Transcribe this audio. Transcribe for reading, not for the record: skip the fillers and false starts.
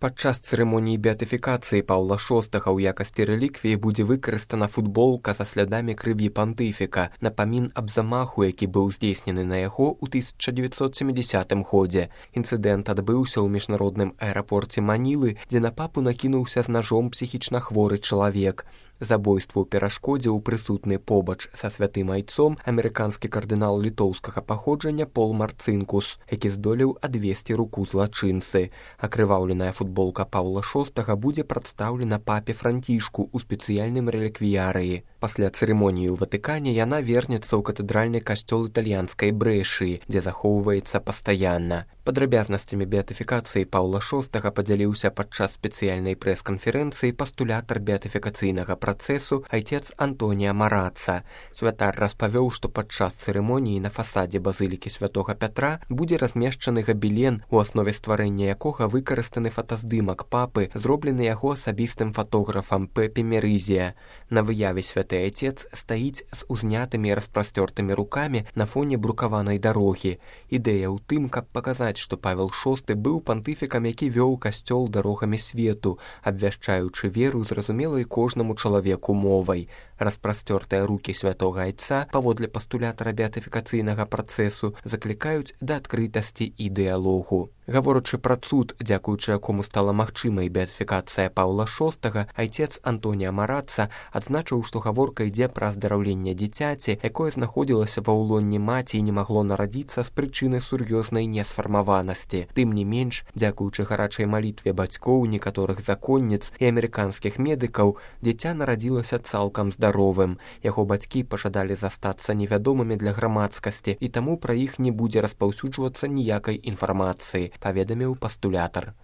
Падчас цырымоніі беатыфікацыі Паўла VI ў якасці рэліквіі будзе выкарыстана футболка са слядамі крыві пантыфіка, напамін аб замаху, які быў здзейснены на яго ў 1970 годзе. Інцыдэнт адбыўся ў міжнародным аэрапорце Манілы, дзе на папу накінуўся з нажом псіхічна хворы чалавек. Забойству перашкодзіў прысутны побач са святым айцом амерыканскі кардынал літоўскага паходжання Пол Марцынкус, які здолеў адвесці руку злачынцы. Акрываўленая футболка Паўла VI будзе прадстаўлена папе Францішку ў спецыяльным рэліквіярыі. Пасля цырымоніі ў Ватыкане яна вернецца ў катэдральны касцёл італьянскай Брэшыі, дзе захоўваецца пастаянна. Падрабязнасцямі беатыфікацыі Паўла VI падзяліўся падчас спецыяльнай прэс-канферэнцыі пастулятар беатыфікацыйнага працэсу айцец Антонія Мараца. Святар распавёў, што падчас цырымоніі на фасадзе базылікі святога Пятра будзе размешчаны габелен, у аснове стварэння якога выкарыстаны фотаздымак папы, зроблены яго асабістым фатографам Пепе Мерызія. На выяве святы айцец стаіць з узнятымі і распрасцёртымі рукамі на фоне брукаванай дарогі. Ідэя ў тым, каб паказаць, што Павел VI быў пантыфікам, які вёў касцёл дарогамі свету, абвяшчаючы веру зразумелай кожнаму чалавеку мовай. Распрасцёртыя рукі святога айца, паводле пастулятара беатыфікацыйнага працэсу, заклікаюць да адкрытасці і дыялогу. Гаворачы пра цуд, дзякуючы якому стала магчымай беатыфікацыя Паўла VI, айцец Антонія Мараца адзначыў, што гаворка ідзе пра аздараўленне дзіцяці, якое знаходзілася ва ўлонні маці і не магло нарадзіцца з прычыны сур'ёзнай несфармаванасці. Тым не менш, дзякуючы гарачай малітве бацькоў, некаторых законніц і амерыканскіх медыкаў, дзіця нарадзілася цалкам здаровым. Яго бацькі пажадалі застацца невядомымі для грамадскасці, і таму пра іх не будзе распаўсюджвацца ніякай інфармацыі, паведаміў пастулятар.